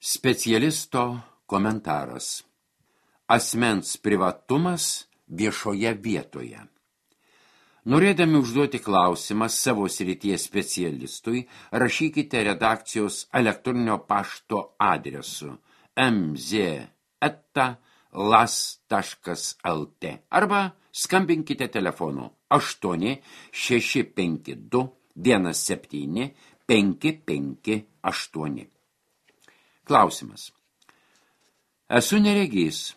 Specialisto komentaras. Asmens privatumas viešoje vietoje. Norėdami užduoti klausimą savo srities specialistui, rašykite redakcijos elektroninio pašto adresu mz@las.lt arba skambinkite telefonu 8 652 17 558. Klausimas. Esu neregys.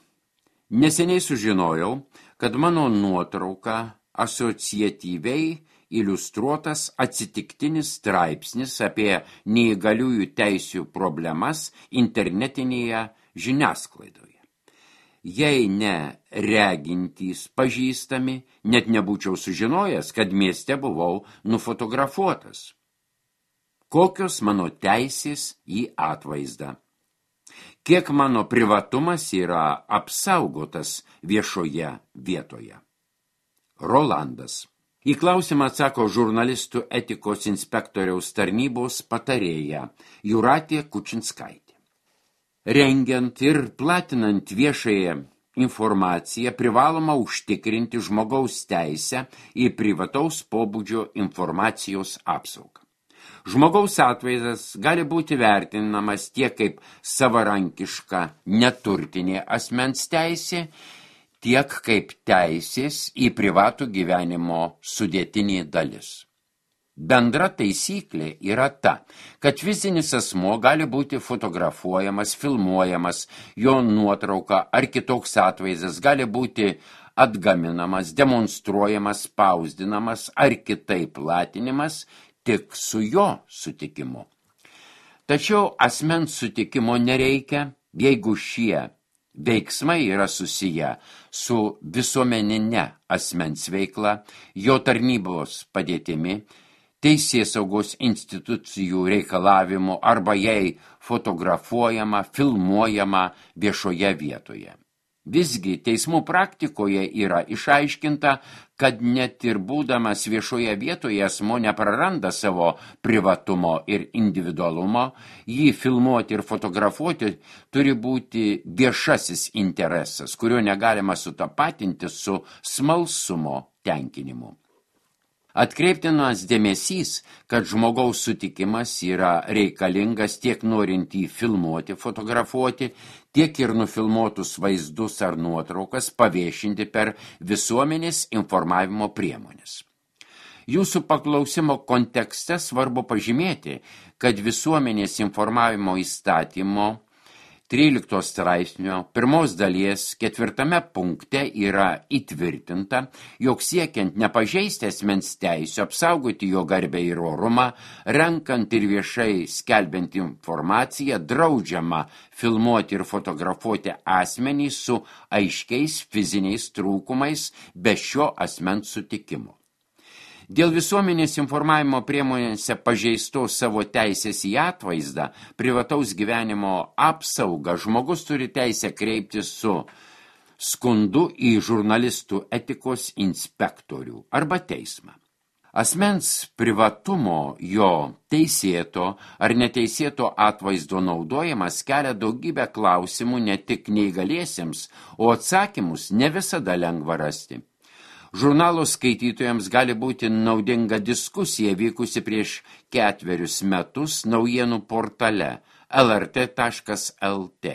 Neseniai sužinojau, kad mano nuotrauka asociatyviai iliustruotas atsitiktinis straipsnis apie neįgaliųjų teisių problemas internetinėje žiniasklaidoje. Jei ne regintys pažįstami, net nebūčiau sužinojęs, kad mieste buvau nufotografuotas. Kokios mano teisės į atvaizdą? Kiek mano privatumas yra apsaugotas viešoje vietoje? Rolandas. Į klausimą atsako žurnalistų etikos inspektoriaus tarnybos patarėja Jūratė Kučinskaitė. Rengiant ir platinant viešąją informaciją privaloma užtikrinti žmogaus teisę į privataus pobūdžio informacijos apsaugą. Žmogaus atvaizdas gali būti vertinamas tiek kaip savarankiška neturtinė asmens teisė, tiek kaip teisės į privatų gyvenimo sudėtinė dalis. Bendra taisyklė yra ta, kad fizinis asmuo gali būti fotografuojamas, filmuojamas, jo nuotrauka ar kitoks atvaizdas gali būti atgaminamas, demonstruojamas, spausdinamas ar kitaip platinimas, tik su jo sutikimu. Tačiau asmens sutikimo nereikia, jeigu šie veiksmai yra susiję su visuomenine asmens veikla, jo tarnybos padėtimi, teisėsaugos institucijų reikalavimu arba jei fotografuojama, filmuojama viešoje vietoje. Visgi teismų praktikoje yra išaiškinta, kad net ir būdamas viešoje vietoje asmuo nepraranda savo privatumo ir individualumo, jį filmuoti ir fotografuoti turi būti viešasis interesas, kurio negalima sutapatinti su smalsumo tenkinimu. Atkreiptinas dėmesys, kad žmogaus sutikimas yra reikalingas tiek norint jį filmuoti, fotografuoti, tiek ir nufilmuotus vaizdus ar nuotraukas paviešinti per visuomenės informavimo priemonės. Jūsų paklausimo kontekste svarbu pažymėti, kad visuomenės informavimo įstatymo 13 straipsnio 1 dalies 4 punkte yra įtvirtinta, jog siekiant nepažeisti asmens teisių, apsaugoti jo garbę ir orumą, renkant ir viešai skelbiant informaciją, draudžiama filmuoti ir fotografuoti asmenį su aiškiais fiziniais trūkumais be šio asmens sutikimo. Dėl visuomenės informavimo priemonėse pažeistos savo teisės į atvaizdą, privataus gyvenimo apsaugą, žmogus turi teisę kreiptis su skundu į žurnalistų etikos inspektorių arba teismą. Asmens privatumo, jo teisėto ar neteisėto atvaizdo naudojimas kelia daugybę klausimų ne tik neįgaliesiems, o atsakymus ne visada lengva rasti. Žurnalo skaitytojams gali būti naudinga diskusija vykusi prieš 4 metus naujienų portale lrt.lt.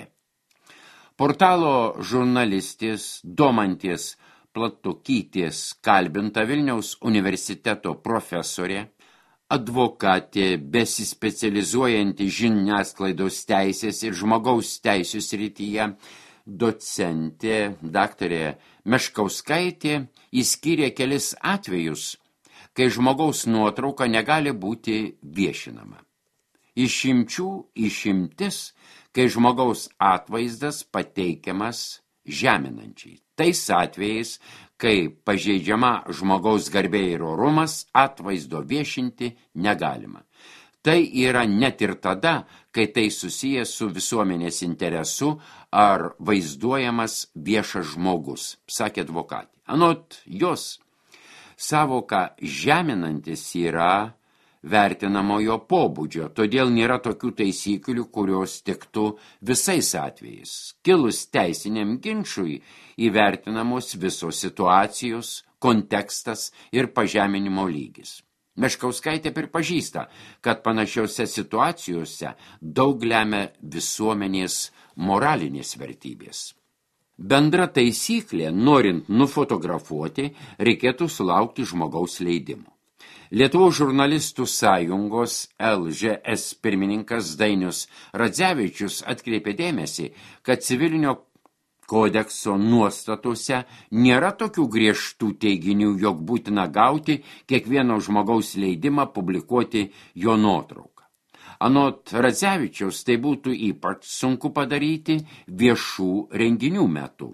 Portalo žurnalistės Domantės Platukytės kalbinta Vilniaus universiteto profesorė, advokatė besispecializuojanti žiniasklaidos teisės ir žmogaus teisių srityje, docentė daktarė Meškauskaitė įskyrė kelis atvejus, kai žmogaus nuotrauka negali būti viešinama. Išimtis, kai žmogaus atvaizdas pateikiamas žeminančiai. Tais atvejais, kai pažeidžiama žmogaus garbė ir orumas, atvaizdo viešinti negalima. Tai yra net ir tada, kai tai susijęs su visuomenės interesu ar vaizduojamas viešas žmogus, sakė advokatė. Anot jos, savoka žeminantis yra vertinamojo pobūdžio, todėl nėra tokių taisyklių, kurios tiktų visais atvejais. Kilus teisiniam ginčui įvertinamos visos situacijos, kontekstas ir pažeminimo lygis. Meškauskaitė pripažįsta, kad panašiose situacijose daug lemia visuomenės moralinės vertybės. Bendra taisyklė, norint nufotografuoti, reikėtų sulaukti žmogaus leidimo. Lietuvos žurnalistų sąjungos LŽS pirmininkas Dainius Radzevičius atkreipė dėmesį, kad civilinio kodekso nuostatuose nėra tokių griežtų teiginių, jog būtina gauti kiekvieno žmogaus leidimą publikuoti jo nuotrauką. Anot Radzevičiaus tai būtų ypač sunku padaryti viešų renginių metu.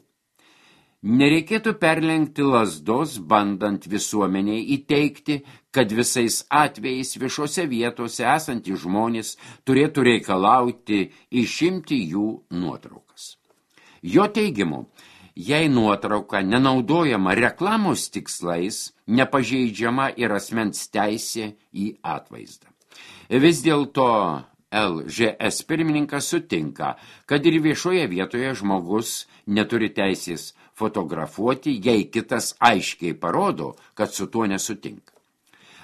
Nereikėtų perlenkti lazdos, bandant visuomeniai įteikti, kad visais atvejais viešose vietose esantys žmonės turėtų reikalauti išimti jų nuotraukas. Jo teigimu, jei nuotrauka nenaudojama reklamos tikslais, nepažeidžiama ir asmens teisė į atvaizdą. Vis dėlto LŽS pirmininkas sutinka, kad ir viešoje vietoje žmogus neturi teisės fotografuoti, jei kitas aiškiai parodo, kad su tuo nesutinka.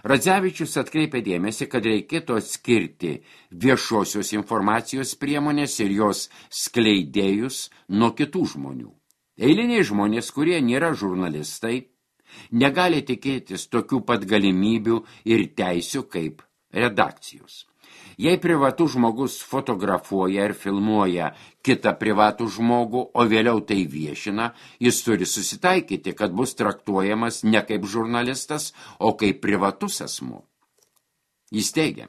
Radzevičius atkreipė dėmesį, kad reikėtų atskirti viešosios informacijos priemonės ir jos skleidėjus nuo kitų žmonių. Eiliniai žmonės, kurie nėra žurnalistai, negali tikėtis tokių pat galimybių ir teisių kaip redakcijos. Jei privatus žmogus fotografuoja ir filmuoja kitą privatų žmogų, o vėliau tai viešina, jis turi susitaikyti, kad bus traktuojamas ne kaip žurnalistas, o kaip privatus asmuo. Jis teigia,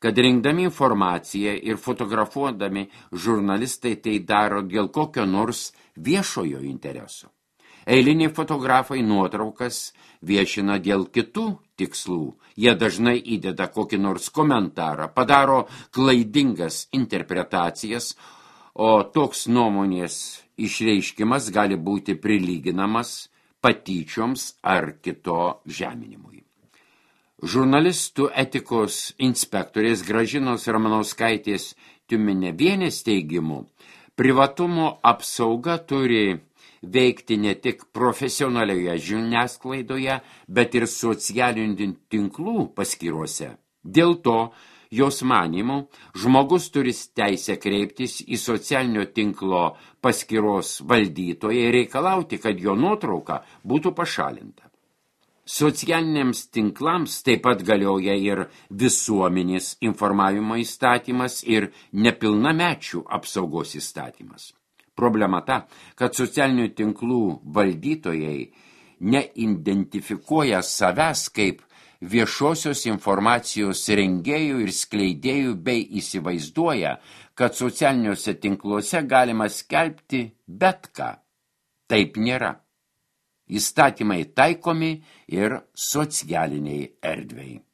kad rinkdami informaciją ir fotografuodami žurnalistai tai daro dėl kokio nors viešojo intereso. Eiliniai fotografai nuotraukas viešina dėl kitų tikslų. Jie dažnai įdeda kokį nors komentarą, padaro klaidingas interpretacijas, o toks nuomonės išreiškimas gali būti prilyginamas patyčioms ar kito žeminimui. Žurnalistų etikos inspektorės Gražinos Ramanauskaitės Tiumenevienės teigimu, privatumo apsauga turi veikti ne tik profesionalioje žiniasklaidoje, bet ir socialinių tinklų paskyrose. Dėl to, jos manymu, žmogus turi teisę kreiptis į socialinio tinklo paskyros valdytoją ir reikalauti, kad jo nuotrauka būtų pašalinta. Socialiniams tinklams taip pat galioja ir visuomenės informavimo įstatymas ir nepilnamečių apsaugos įstatymas. Problema ta, kad socialinių tinklų valdytojai neidentifikuoja savęs kaip viešosios informacijos rengėjų ir skleidėjų bei įsivaizduoja, kad socialiniuose tinkluose galima skelbti bet ką. Taip nėra. Įstatymai taikomi ir socialiniai erdvei.